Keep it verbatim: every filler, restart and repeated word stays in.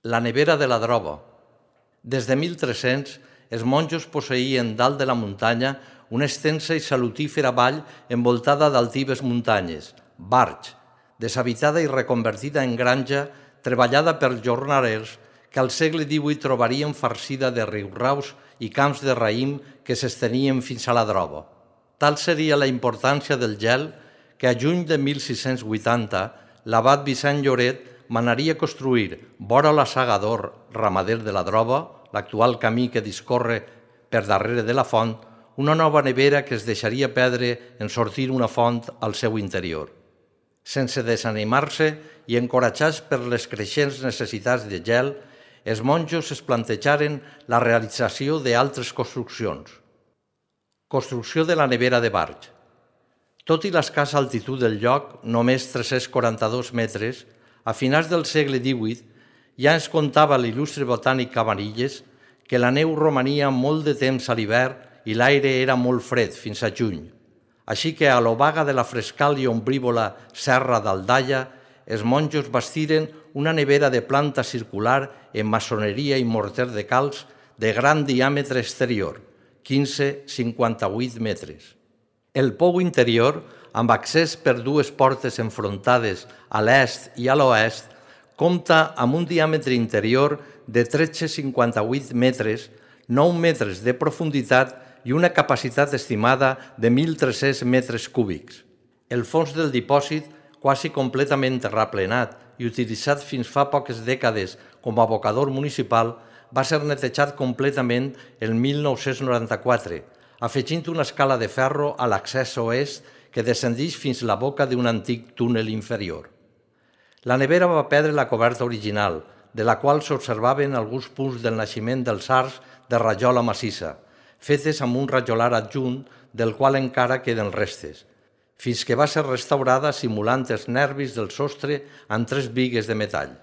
La nevera de la Droba. Des de mil tres-cents, els monjos posseïen dalt de la muntanya una extensa i salutífera vall envoltada d'altives muntanyes, Barx, deshabitada i reconvertida en granja, treballada per jornalers que al segle divuit trobarien farcida de riuraus i camps de raïm que s'estenien fins a la Droba. Tal seria la importància del gel que a juny de mil sis-cents vuitanta l'abat Vicent Lloret manaria construir, vora la Saga d'Or, ramader de la Droba, l'actual camí que discorre per darrere de la font, una nova nevera que es deixaria perdre en sortir una font al seu interior. Sense desanimar-se i encoratjats per les creixents necessitats de gel, els monjos es plantejaren la realització d'altres construccions. Construcció de la nevera de Barx. Tot i l'escassa altitud del lloc, només tres-cents quaranta-dos metres, a finals del segle divuit ja ens contava l'il·lustre botànic Cabanilles que la neu romania molt de temps a l'hivern i l'aire era molt fred fins a juny. Així que a l'obaga de la frescal i ombrívola serra d'Aldaia, els monjos bastiren una nevera de planta circular en maçoneria i morter de calç de gran diàmetre exterior, quinze coma cinquanta-vuit metres. El pou interior, amb accés per dues portes enfrontades a l'est i a l'oest, compta amb un diàmetre interior de tretze coma cinquanta-vuit metres, nou metres de profunditat i una capacitat estimada de mil tres-cents metres cúbics. El fons del dipòsit, quasi completament terraplenat i utilitzat fins fa poques dècades com a abocador municipal, va ser netejat completament el mil nou-cents noranta-quatre, afegint una escala de ferro a l'accés oest que descendeix fins a la boca d'un antic túnel inferior. La nevera va perdre la coberta original, de la qual s'observaven alguns punts del naixement dels arcs de rajola massissa, fetes amb un rajolar adjunt del qual encara queden restes, fins que va ser restaurada simulant els nervis del sostre amb tres bigues de metall.